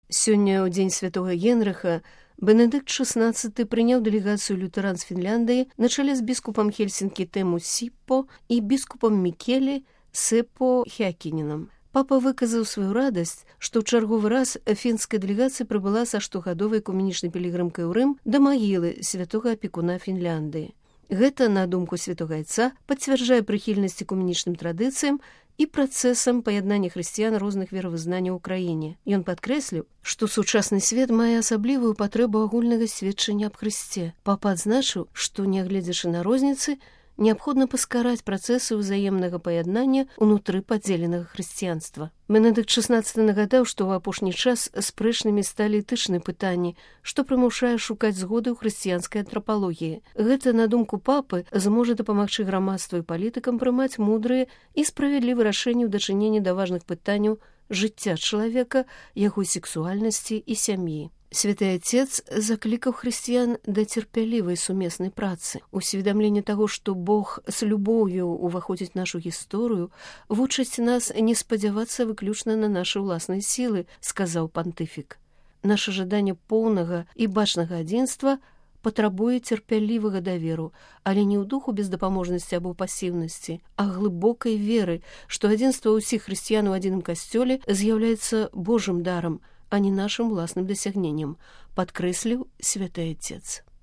Сёння, ў дзень святого Генрыха, Бенедыкт XVI прыняў дэлегацыю лютэран з Фінляндыі на чале з біскупам Хельсінкі Тему Сіппо і біскупам Мікелі Сеппо Хякіненам. Папа выказаў сваю радасць, што ў чарговы раз фінская дэлегацыя прыбыла са штогадовай экуменічнай пілігрымкай у Рым да магілы святога апекуна Фінляндыі. Гэта, на думку святога айца, пацвярджае прыхільнасць экуменічным традыцыям і працэсам паяднання хрысціян розных веравызнанняў у краіне. Ён падкрэсліў, што сучасны свет мае асаблівую патрэбу агульнага сведчання аб Хрысце. Папа адзначыў, што, нягледзячы на розніцы, неабходна паскараць працэсы ўзаемнага паяднання ўнутры падзеленага хрысціянства. Бенедыкт XVI нагадаў, што ў апошні час спрэчнымі сталі этычныя пытанні, што прымушае шукаць згоды ў хрысціянскай антрапалогіі. Гэта, на думку папы, зможа дапамагчы грамадству і палітыкам прымаць мудрыя і справядлівыя рашэнні ў дачыненні да важных пытанняў жыцця чалавека, яго сексуальнасці і сям'і. Святы Отец заклікаў хрысціян да цярпялівай сумеснай працы. Усведамленне таго, што Бог з любоўю ўваходзіць нашу гісторыю, вучыць нас не спадзявацца выключна на нашы ўласныя сілы, сказаў пантыфік. Наша жаданне поўнага і бачнага адзінства патрабуе цярпялівага даверу, але не ў духу бездапаможнасці або пасіўнасці, а глыбокай веры, што адзінства ўсіх хрысціян у адзіным касцёле з'яўляецца Божым дарам, а не нашым уласным дасягненнем, падкрэсліў святы Отец.